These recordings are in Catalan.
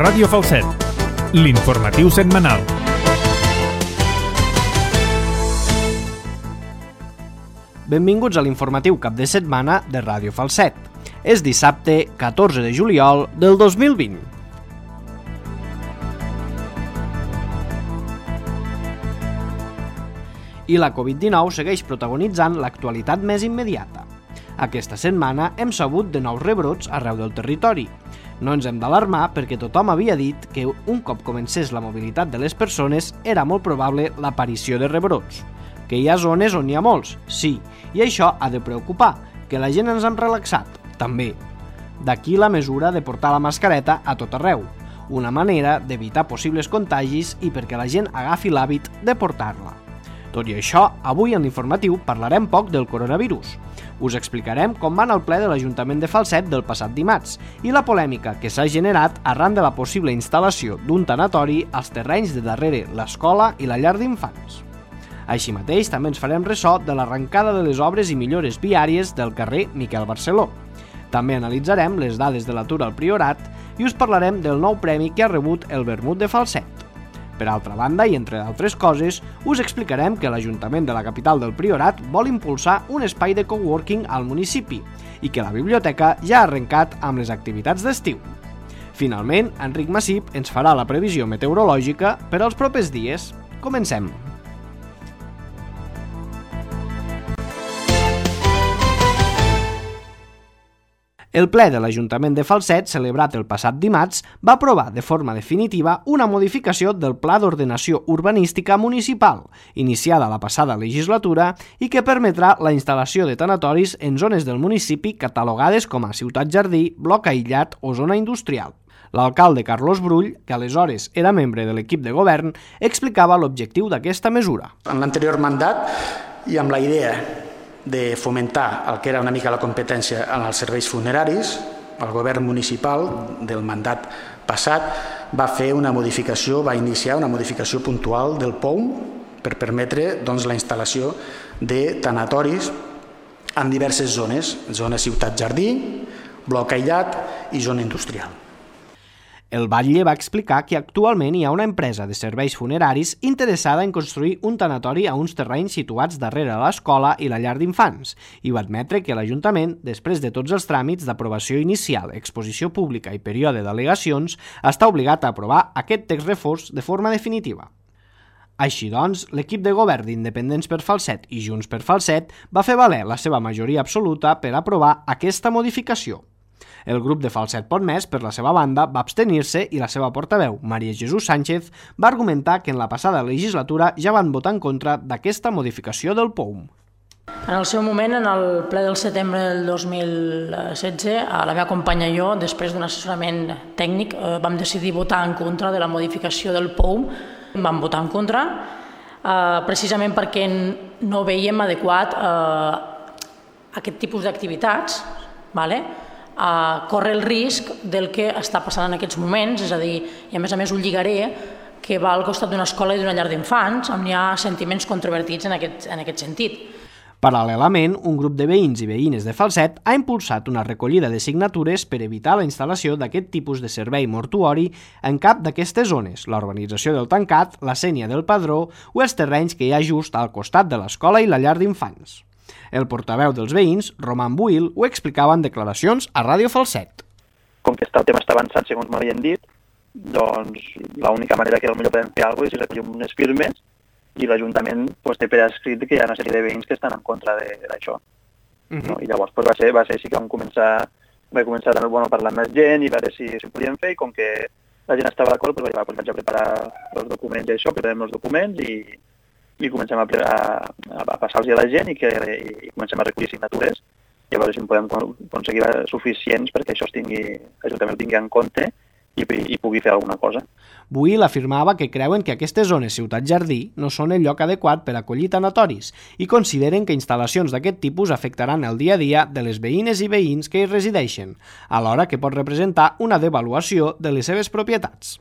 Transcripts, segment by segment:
Ràdio Falset, l'informatiu setmanal. Benvinguts a l'informatiu cap de setmana de Ràdio Falset. És dissabte 14 de juliol del 2020. I la Covid-19 segueix protagonitzant l'actualitat més immediata. Aquesta setmana hem sabut de nous rebrots arreu del territori. No ens hem d'alarmar perquè tothom havia dit que un cop comencés la mobilitat de les persones era molt probable l'aparició de rebrots. Que hi ha zones on n'hi ha molts, sí, i això ha de preocupar, que la gent ens hem relaxat, també. D'aquí la mesura de portar la mascareta a tot arreu, una manera d'evitar possibles contagis i perquè la gent agafi l'hàbit de portar-la. Tot i això, avui en l'informatiu parlarem poc del coronavirus. Us explicarem com va anar el ple de l'Ajuntament de Falset del passat dimarts i la polèmica que s'ha generat arran de la possible instal·lació d'un tanatori als terrenys de darrere l'escola i la llar d'infants. Així mateix, també ens farem ressò de l'arrencada de les obres i millores viàries del carrer Miquel Barceló. També analitzarem les dades de l'atur al Priorat i us parlarem del nou premi que ha rebut el Vermut de Falset. Per altra banda, i entre d'altres coses, us explicarem que l'Ajuntament de la capital del Priorat vol impulsar un espai de coworking al municipi i que la biblioteca ja ha arrencat amb les activitats d'estiu. Finalment, Enric Massip ens farà la previsió meteorològica per als propers dies. Comencem! El ple de l'Ajuntament de Falset, celebrat el passat dimarts, va aprovar de forma definitiva una modificació del Pla d'Ordenació Urbanística Municipal, iniciada la passada legislatura i que permetrà la instal·lació de tanatoris en zones del municipi catalogades com a ciutat jardí, bloc aïllat o zona industrial. L'alcalde Carlos Brull, que aleshores era membre de l'equip de govern, explicava l'objectiu d'aquesta mesura. En l'anterior mandat i amb la idea de fomentar el que era una mica la competència en els serveis funeraris, el govern municipal del mandat passat va fer una modificació, va iniciar una modificació puntual del POUM per permetre la instal·lació de tanatoris en diverses zones, zona ciutat-jardí, bloc aïllat i zona industrial. El batlle va explicar que actualment hi ha una empresa de serveis funeraris interessada en construir un tanatori a uns terrenys situats darrere l'escola i la llar d'infants i va admetre que l'Ajuntament, després de tots els tràmits d'aprovació inicial, exposició pública i període d'al·legacions, està obligat a aprovar aquest text reforç de forma definitiva. Així doncs, l'equip de govern d'Independents per Falset i Junts per Falset va fer valer la seva majoria absoluta per aprovar aquesta modificació. El grup de Falset Pot Més, per la seva banda, va abstenir-se i la seva portaveu, Maria Jesús Sánchez, va argumentar que en la passada legislatura ja van votar en contra d'aquesta modificació del POUM. En el seu moment, en el ple del setembre del 2016, la meva companya i jo, després d'un assessorament tècnic, vam decidir votar en contra de la modificació del POUM. Vam votar en contra precisament perquè no veiem adequat aquest tipus d'activitats, corre el risc del que està passant en aquests moments, és a dir, i a més ho lligaré, que va al costat d'una escola i d'una llar d'infants, on hi ha sentiments controvertits en aquest sentit. Paral·lelament, un grup de veïns i veïnes de Falset ha impulsat una recollida de signatures per evitar la instal·lació d'aquest tipus de servei mortuori en cap d'aquestes zones, la urbanització del Tancat, la Sénia del Padró o els terrenys que hi ha just al costat de l'escola i la llar d'infants. El portaveu dels veïns, Roman Buil, ho explicava en declaracions a Ràdio Falset. Com que el tema està avançant, segons m'havien dit, doncs l'única manera que potser podem fer alguna cosa és recollir unes firmes i l'Ajuntament té per escrit que hi ha una sèrie de veïns que estan en contra d'això. I llavors va ser així que vaig començar a parlar amb més gent i veure si ho podíem fer, i com que la gent estava d'acord, vaig a preparar els documents i això, preparem els documents i comencem a passar-los a la gent i comencem a recollir signatures i a veure si en podem aconseguir suficients perquè això l'Ajuntament ho tingui en compte i pugui fer alguna cosa. Buil afirmava que creuen que aquestes zones ciutat-jardí no són el lloc adequat per acollir tanatoris i consideren que instal·lacions d'aquest tipus afectaran el dia a dia de les veïnes i veïns que hi resideixen, alhora que pot representar una devaluació de les seves propietats.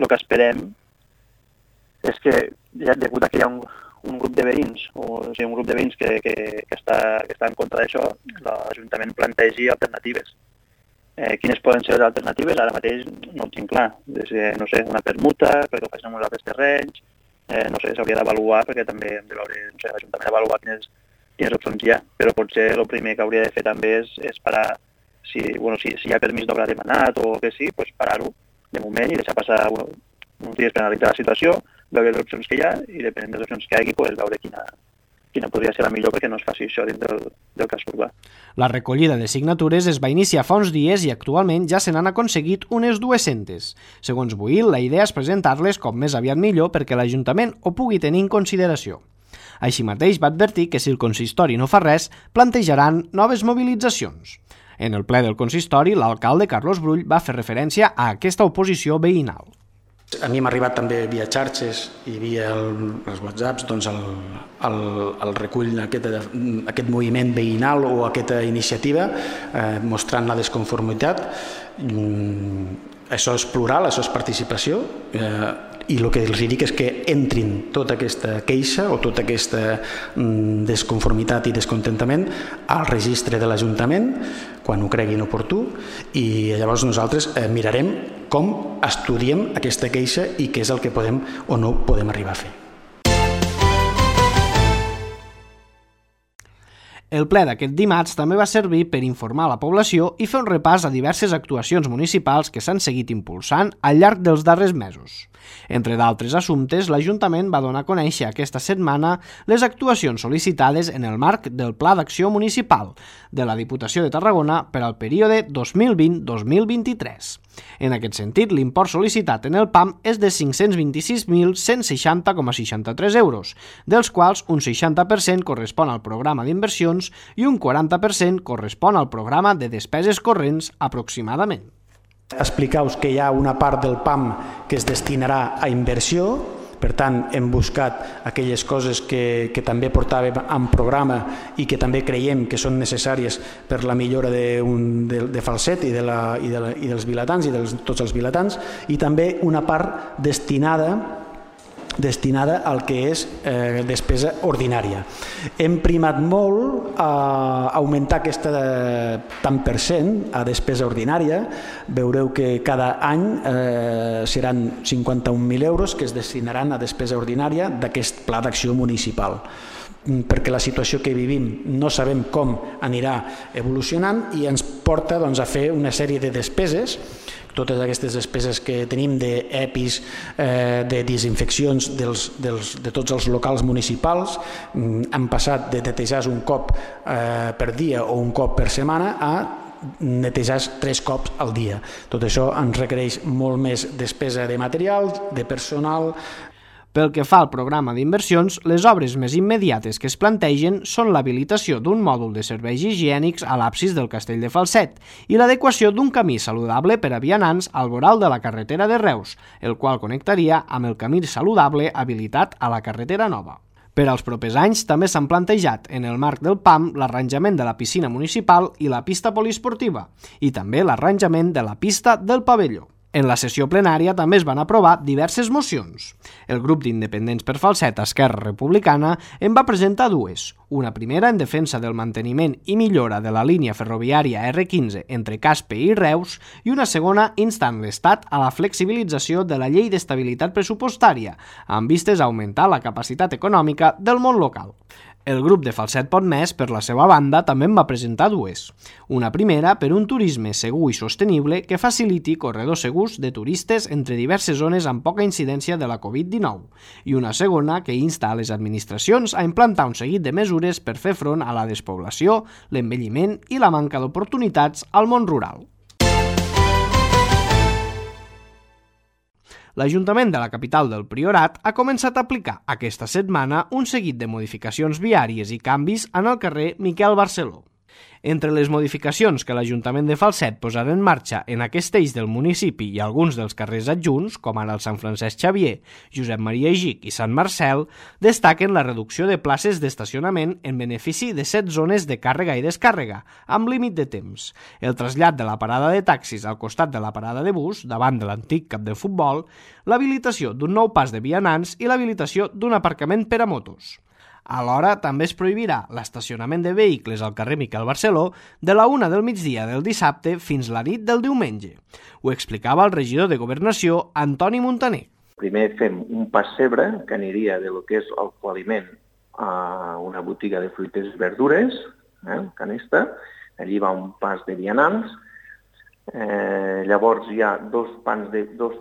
El que esperem és que, degut a que hi ha un grup de veïns, que està en contra d'això, l'Ajuntament plantegi alternatives. Quines poden ser les alternatives? Ara mateix no ho tinc clar. No sé, una permuta, perquè ho facin amb uns altres terrenys, no sé, s'hauria d'avaluar, perquè també hem de veure, no sé, l'Ajuntament avaluar quines opcions hi ha, però potser el primer que hauria de fer també és parar, si hi ha permís d'obra demanat o que sí, doncs parar-ho de moment i deixar passar uns dies per analitzar la situació, veure les opcions que hi ha i depenent de les opcions que hi hagi, doncs veure quina podria ser la millor perquè no es faci això dins del casc urbà. La recollida de signatures es va iniciar fa uns dies i actualment ja se n'han aconseguit unes 200. Segons Buil, la idea és presentar-les com més aviat millor perquè l'Ajuntament ho pugui tenir en consideració. Així mateix va advertir que si el consistori no fa res, plantejaran noves mobilitzacions. En el ple del consistori, l'alcalde Carlos Brull va fer referència a aquesta oposició veïnal. A mi m'ha arribat també via xarxes i via els whatsapps doncs el recull aquest moviment veïnal o aquesta iniciativa mostrant la desconformitat. Això és plural, això és participació i el que els dic és que entrin tota aquesta queixa o tota aquesta desconformitat i descontentament al registre de l'Ajuntament quan ho creguin oportú i llavors nosaltres mirarem com estudiem aquesta queixa i què és el que podem o no podem arribar a fer. El ple d'aquest dimarts també va servir per informar la població i fer un repàs a diverses actuacions municipals que s'han seguit impulsant al llarg dels darrers mesos. Entre d'altres assumptes, l'Ajuntament va donar a conèixer aquesta setmana les actuacions sol·licitades en el marc del Pla d'Acció Municipal de la Diputació de Tarragona per al període 2020-2023. En aquest sentit, l'import sol·licitat en el PAM és de 526.160,63 euros, dels quals un 60% correspon al programa d'inversions i un 40% correspon al programa de despeses corrents aproximadament. Explicar-vos que hi ha una part del PAM que es destinarà a inversió, per tant hem buscat aquelles coses que també portàvem en programa i que també creiem que són necessàries per la millora de Falset i dels vilatans i de tots els vilatans, i també una part destinada al que és despesa ordinària. Hem primat molt a augmentar aquesta tant per cent a despesa ordinària. Veureu que cada any seran 51.000 euros que es destinaran a despesa ordinària d'aquest pla d'acció municipal, perquè la situació que vivim no sabem com anirà evolucionant i ens porta a fer una sèrie de despeses, totes aquestes despeses que tenim d'EPIs, de desinfeccions de tots els locals municipals. Han passat de netejar un cop per dia o un cop per setmana a netejar 3 cops al dia. Tot això ens requereix molt més despesa de material, de personal. Pel que fa al programa d'inversions, les obres més immediates que es plantegen són l'habilitació d'un mòdul de serveis higiènics a l'absis del Castell de Falset i l'adequació d'un camí saludable per a vianants al voral de la carretera de Reus, el qual connectaria amb el camí saludable habilitat a la carretera nova. Per als propers anys també s'han plantejat en el marc del PAM l'arranjament de la piscina municipal i la pista poliesportiva i també l'arranjament de la pista del pavelló. En la sessió plenària també es van aprovar diverses mocions. El grup d'independents per Falset, Esquerra Republicana, en va presentar 2. Una primera en defensa del manteniment i millora de la línia ferroviària R15 entre Caspe i Reus i una segona instant l'Estat a la flexibilització de la llei d'estabilitat pressupostària, amb vistes a augmentar la capacitat econòmica del món local. El grup de Falset Pot Més, per la seva banda, també en va presentar 2. Una primera per un turisme segur i sostenible que faciliti corredors segurs de turistes entre diverses zones amb poca incidència de la Covid-19 i una segona que insta a les administracions a implantar un seguit de mesures per fer front a la despoblació, l'envelliment i la manca d'oportunitats al món rural. L'Ajuntament de la capital del Priorat ha començat a aplicar aquesta setmana un seguit de modificacions viàries i canvis en el carrer Miquel Barceló. Entre les modificacions que l'Ajuntament de Falset posarà en marxa en aquest eix del municipi i alguns dels carrers adjunts, com ara el Sant Francesc Xavier, Josep Maria Gich i Sant Marcel, destaquen la reducció de places d'estacionament en benefici de 7 zones de càrrega i descàrrega, amb límit de temps, el trasllat de la parada de taxis al costat de la parada de bus, davant de l'antic camp de futbol, l'habilitació d'un nou pas de vianants i l'habilitació d'un aparcament per a motos. Alhora, també es prohibirà l'estacionament de vehicles al carrer Miquel Barceló de la 1 del migdia del dissabte fins la nit del diumenge. Ho explicava el regidor de Governació, Antoni Montaner. Primer fem un pessebre que aniria de lo que és el coaliment a una botiga de fruites i verdures, Canesta. Allí va un pas de vianants. Llavors hi ha dos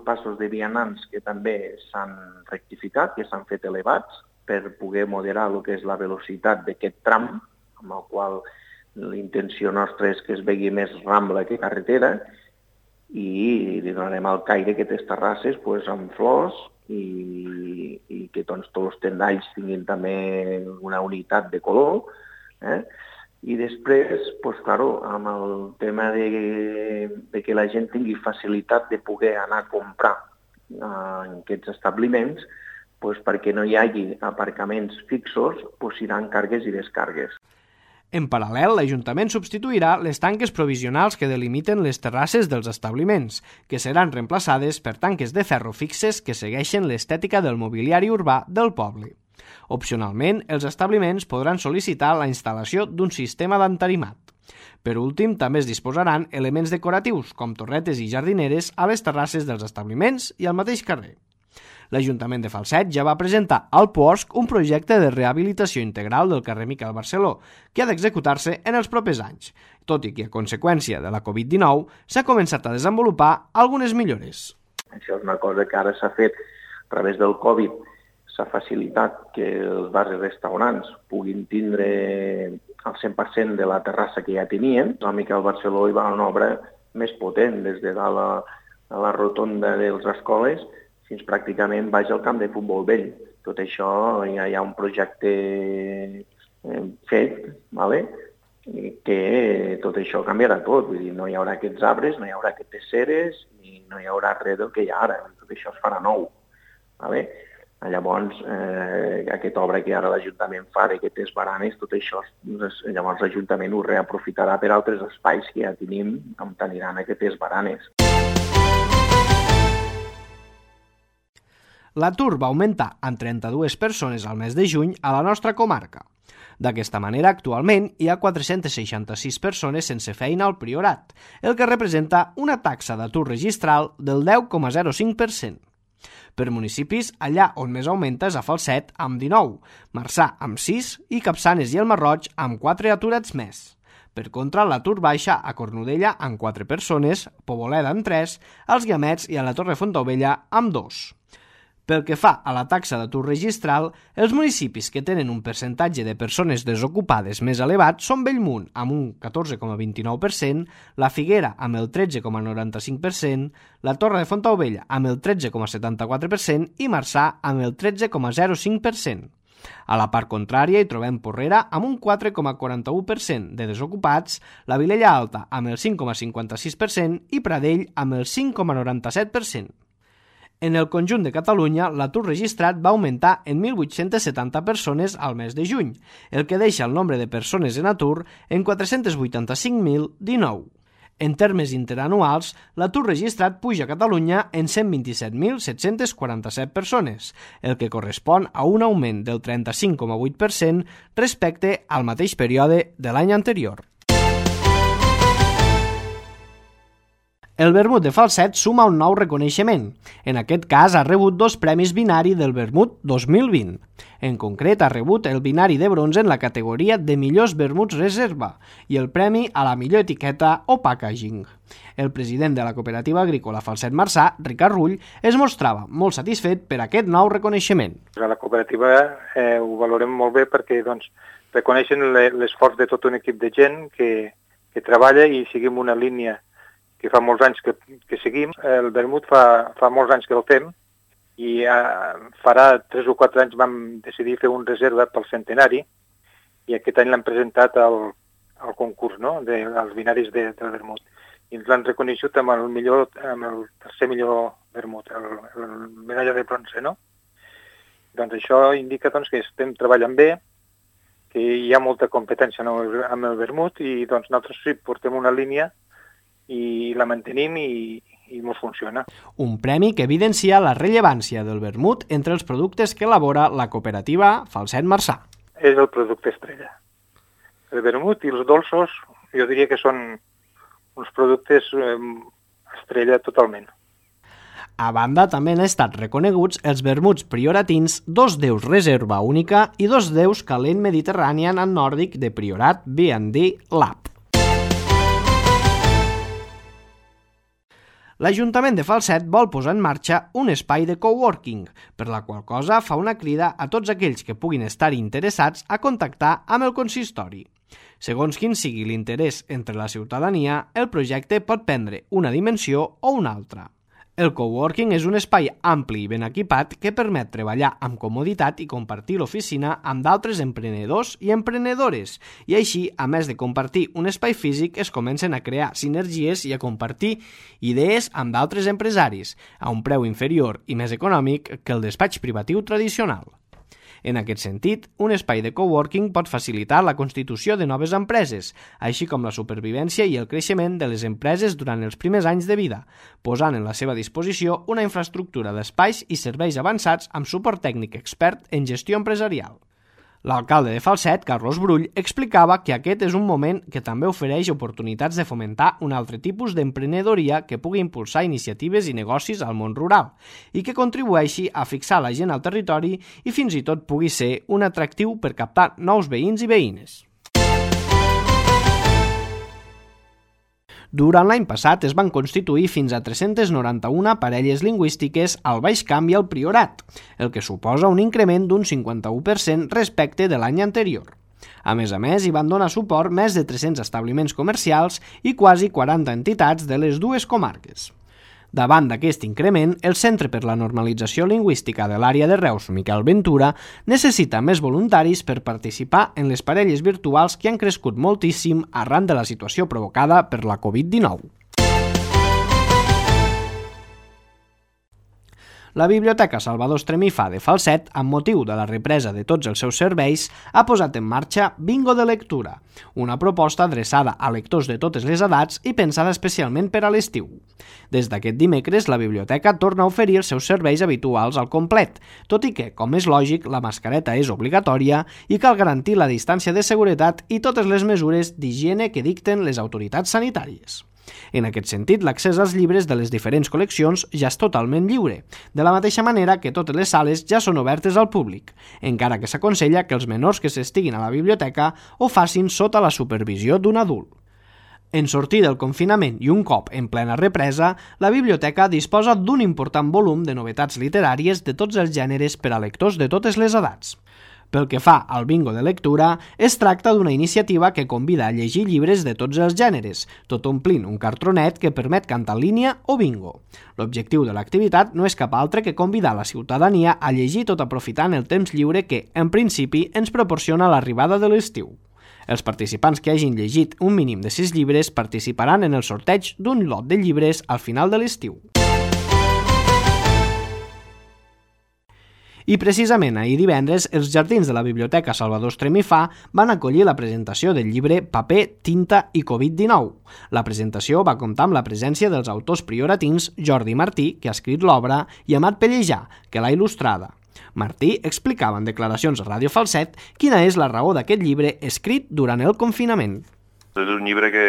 passos de vianants que també s'han rectificat, que s'han fet elevats, per poder moderar el que és la velocitat d'aquest tram, amb el qual l'intenció nostra és que es vegi més rambla que carretera, i li donarem al caire aquestes terrasses amb flors i que tots els tendalls tinguin també una unitat de color. I després, amb el tema de que la gent tingui facilitat de poder anar a comprar en aquests establiments, perquè no hi hagi aparcaments fixos, seran càrregues i descàrregues. En paral·lel, l'Ajuntament substituirà les tanques provisionals que delimiten les terrasses dels establiments, que seran reemplaçades per tanques de ferro fixes que segueixen l'estètica del mobiliari urbà del poble. Opcionalment, els establiments podran sol·licitar la instal·lació d'un sistema d'entarimat. Per últim, també es disposaran elements decoratius, com torretes i jardineres, a les terrasses dels establiments i al mateix carrer. L'Ajuntament de Falset ja va presentar al POSC un projecte de rehabilitació integral del carrer Miquel Barceló, que ha d'executar-se en els propers anys, tot i que a conseqüència de la Covid-19 s'ha començat a desenvolupar algunes millores. Això és una cosa que ara s'ha fet a través del Covid, s'ha facilitat que els bars i restaurants puguin tindre el 100% de la terrassa que ja tenien. El Miquel Barceló hi va una obra més potent, des de dalt a la rotonda de les escoles fins pràcticament baix al camp de futbol vell. Tot això ja hi ha un projecte fet, que tot això canviarà tot. Vull dir, no hi haurà aquests arbres, no hi haurà aquestes ceres, i no hi haurà res del que hi ha ara. Tot això es farà nou. Llavors, aquesta obra que ara l'Ajuntament fa d'aquestes baranes, tot això, llavors l'Ajuntament ho reaprofitarà per altres espais que ja tenim on aniran aquestes baranes. L'atur va augmentar en 32 persones al mes de juny a la nostra comarca. D'aquesta manera, actualment hi ha 466 persones sense feina al Priorat, el que representa una taxa d'atur registral del 10,05%. Per municipis, allà on més augmenta és a Falset, amb 19, Marçà, amb 6 i Capçanes i el Marroig, amb 4 aturats més. Per contra, l'atur baixa a Cornudella, amb 4 persones, Poboleda, amb 3, als Guiamets i a la Torre Fontaubella, amb 2. Pel que fa a la taxa d'atur registral, els municipis que tenen un percentatge de persones desocupades més elevat són Bellmunt, amb un 14,29%, la Figuera, amb el 13,95%, la Torre de Fontaubella, amb el 13,74% i Marçà, amb el 13,05%. A la part contrària hi trobem Porrera amb un 4,41% de desocupats, la Vilella Alta amb el 5,56% i Pradell amb el 5,97%. En el conjunt de Catalunya, l'atur registrat va augmentar en 1.870 persones al mes de juny, el que deixa el nombre de persones en atur en 485.019. En termes interanuals, l'atur registrat puja a Catalunya en 127.747 persones, el que correspon a un augment del 35,8% respecte al mateix període de l'any anterior. El vermut de Falset suma un nou reconeixement. En aquest cas ha rebut 2 premis binari del vermut 2020. En concret, ha rebut el binari de bronze en la categoria de millors vermuts reserva i el premi a la millor etiqueta o packaging. El president de la cooperativa agrícola Falset Marçà, Ricard Rull, es mostrava molt satisfet per aquest nou reconeixement. A la cooperativa ho valorem molt bé perquè reconeixen l'esforç de tot un equip de gent que treballa i seguim una línia que fa molts anys que seguim. El vermut fa molts anys que el fem i farà 3 o 4 anys vam decidir fer un reserva pel centenari i aquest any l'hem presentat al concurs, dels binaris del vermut. I ens l'han reconeixut amb el tercer millor vermut, el medalla de bronze, no? Doncs això indica que estem treballant bé, que hi ha molta competència amb el vermut i nosaltres sí portem una línia i la mantenim i ens funciona. Un premi que evidencia la rellevància del vermut entre els productes que elabora la cooperativa Falset Marçà. és el producte estrella. El vermut i els dolços jo diria que són uns productes estrella totalment. A banda, també han estat reconeguts els vermuts prioratins, 2 deus reserva única i 2 deus calent mediterrànian and nòrdic de Priorat B&D Lab. L'Ajuntament de Falset vol posar en marxa un espai de coworking, per la qual cosa fa una crida a tots aquells que puguin estar interessats a contactar amb el consistori. Segons quin sigui l'interès entre la ciutadania, el projecte pot prendre una dimensió o una altra. El coworking és un espai ampli i ben equipat que permet treballar amb comoditat i compartir l'oficina amb d'altres emprenedors i emprenedores, i així, a més de compartir un espai físic, es comencen a crear sinergies i a compartir idees amb d'altres empresaris, a un preu inferior i més econòmic que el despatx privatiu tradicional. En aquest sentit, un espai de coworking pot facilitar la constitució de noves empreses, així com la supervivència i el creixement de les empreses durant els primers anys de vida, posant en la seva disposició una infraestructura d'espais i serveis avançats amb suport tècnic expert en gestió empresarial. L'alcalde de Falset, Carlos Brull, explicava que aquest és un moment que també ofereix oportunitats de fomentar un altre tipus d'emprenedoria que pugui impulsar iniciatives i negocis al món rural i que contribueixi a fixar la gent al territori i fins i tot pugui ser un atractiu per captar nous veïns i veïnes. Durant l'any passat es van constituir fins a 391 parelles lingüístiques al Baix Camp i al Priorat, el que suposa un increment d'un 51% respecte de l'any anterior. A més, hi van donar suport més de 300 establiments comercials i quasi 40 entitats de les dues comarques. Davant d'aquest increment, el Centre per la Normalització Lingüística de l'àrea de Reus, Miquel Ventura, necessita més voluntaris per participar en les parelles virtuals que han crescut moltíssim arran de la situació provocada per la Covid-19. La Biblioteca Salvador Estremifà de Falset, amb motiu de la represa de tots els seus serveis, ha posat en marxa Bingo de Lectura, una proposta adreçada a lectors de totes les edats i pensada especialment per a l'estiu. Des d'aquest dimecres, la biblioteca torna a oferir els seus serveis habituals al complet, tot i que, com és lògic, la mascareta és obligatòria i cal garantir la distància de seguretat i totes les mesures d'higiene que dicten les autoritats sanitàries. En aquest sentit, l'accés als llibres de les diferents col·leccions ja és totalment lliure, de la mateixa manera que totes les sales ja són obertes al públic, encara que s'aconsella que els menors que s'estiguin a la biblioteca ho facin sota la supervisió d'un adult. En sortir del confinament i un cop en plena represa, la biblioteca disposa d'un important volum de novetats literàries de tots els gèneres per a lectors de totes les edats. Pel que fa al bingo de lectura, es tracta d'una iniciativa que convida a llegir llibres de tots els gèneres, tot omplint un cartronet que permet cantar en línia o bingo. L'objectiu de l'activitat no és cap altre que convidar la ciutadania a llegir tot aprofitant el temps lliure que, en principi, ens proporciona l'arribada de l'estiu. Els participants que hagin llegit un mínim de 6 llibres participaran en el sorteig d'un lot de llibres al final de l'estiu. I precisament ahir divendres, els jardins de la Biblioteca Salvador Estremifà van acollir la presentació del llibre Paper, tinta i Covid-19. La presentació va comptar amb la presència dels autors prioratins Jordi Martí, que ha escrit l'obra, i Amat Pellejà, que l'ha il·lustrada. Martí explicava en declaracions a Ràdio Falset quina és la raó d'aquest llibre escrit durant el confinament. És un llibre que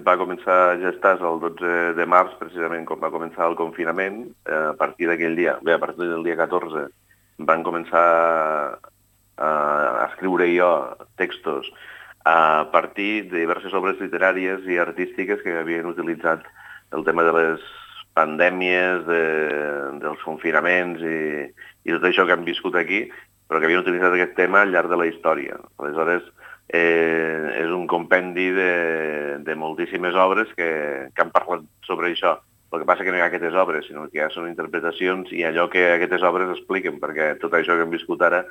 va començar a gestar-se el 12 de març, precisament quan va començar el confinament. A partir d'aquell dia, a partir del dia 14, van començar a escriure jo textos a partir de diverses obres literàries i artístiques que havien utilitzat el tema de les pandèmies, dels confinaments i tot això que han viscut aquí, però que havien utilitzat aquest tema al llarg de la història. Aleshores, és un compendi de moltíssimes obres que han parlat sobre això. El que passa que no hi ha aquestes obres, sinó que ja són interpretacions i allò que aquestes obres expliquen, perquè tot això que hem viscut ara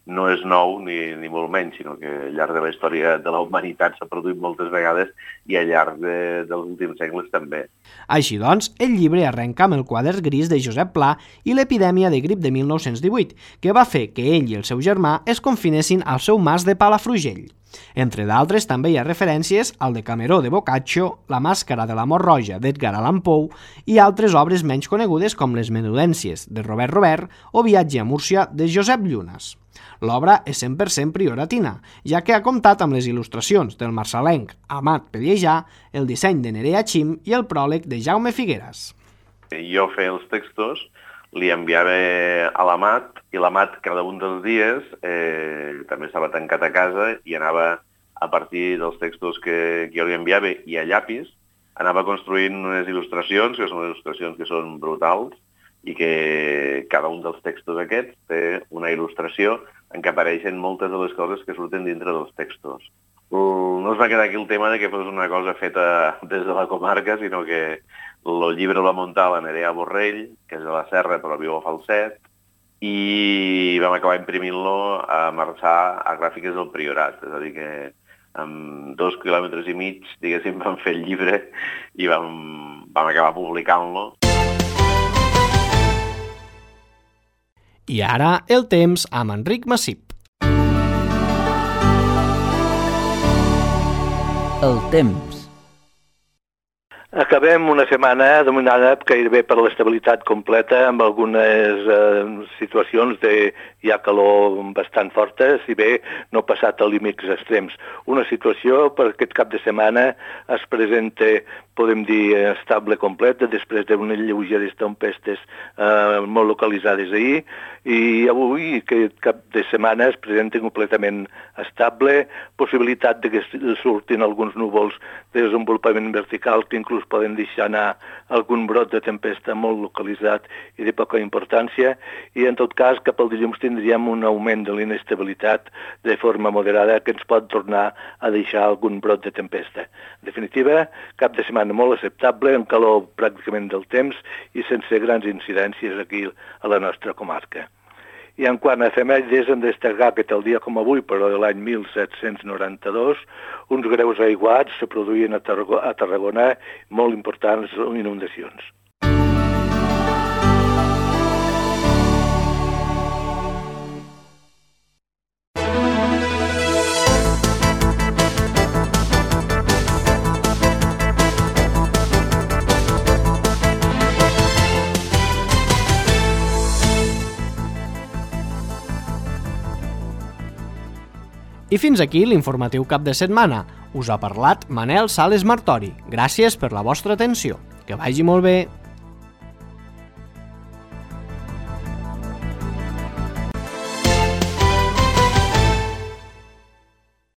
no és nou ni molt menys, sinó que al llarg de la història de la humanitat s'ha produït moltes vegades i al llarg dels últims segles també. Així doncs, el llibre arrenca amb el quadern gris de Josep Pla i l'epidèmia de grip de 1918, que va fer que ell i el seu germà es confinessin al seu mas de Palafrugell. Entre d'altres, també hi ha referències al Decameró de Boccaccio, La màscara de la mort roja d'Edgar Allan Poe i altres obres menys conegudes com Les menudències de Robert Robert o Viatge a Múrcia de Josep Llunas. L'obra és 100% prioratina, ja que ha comptat amb les il·lustracions del marçalenc Amat Pellejà, el disseny de Nerea Chim i el pròleg de Jaume Figueras. Jo feia els textos, li enviava a l'Amat, i l'Amat cada un dels dies també estava tancat a casa i anava, a partir dels textos que jo li enviava i a llapis, anava construint unes il·lustracions, que són il·lustracions que són brutals, i que cada un dels textos aquests té una il·lustració en què apareixen moltes de les coses que surten dintre dels textos. No es va quedar aquí el tema de que fos una cosa feta des de la comarca, sinó que el llibre el va muntar la Nerea Borrell, que és de la Serra però viu a Falset, i vam acabar imprimint-lo a Marçà a Gràfiques del Priorat. És a dir que amb 2,5 quilòmetres, diguéssim, vam fer el llibre i vam acabar publicant-lo. I ara el temps amb Enric Massip. El temps. Acabem una setmana dominada gairebé per l'estabilitat completa, amb algunes situacions de hi ha calor bastant forta, si bé no ha passat a límits extrems. Una situació per aquest cap de setmana es presenta, podem dir, estable completa, després d'unes lleugeres tempestes molt localitzades ahir, i avui, aquest cap de setmana, es presenta completament estable, possibilitat de que surtin alguns núvols de desenvolupament vertical que inclús poden deixar anar algun brot de tempesta molt localitzat i de poca importància, i en tot cas cap al dilluns tindríem un augment de l'inestabilitat de forma moderada que ens pot tornar a deixar algun brot de tempesta. En definitiva, cap de setmana molt acceptable, amb calor pràcticament del temps i sense grans incidències aquí a la nostra comarca. I en quant a efemèrides, hem de destacar que tal dia com avui, però de l'any 1792, uns greus aiguats se produïen a Tarragona, molt importants inundacions. I fins aquí l'informatiu cap de setmana. Us ha parlat Manel Sales Martori. Gràcies per la vostra atenció. Que vagi molt bé.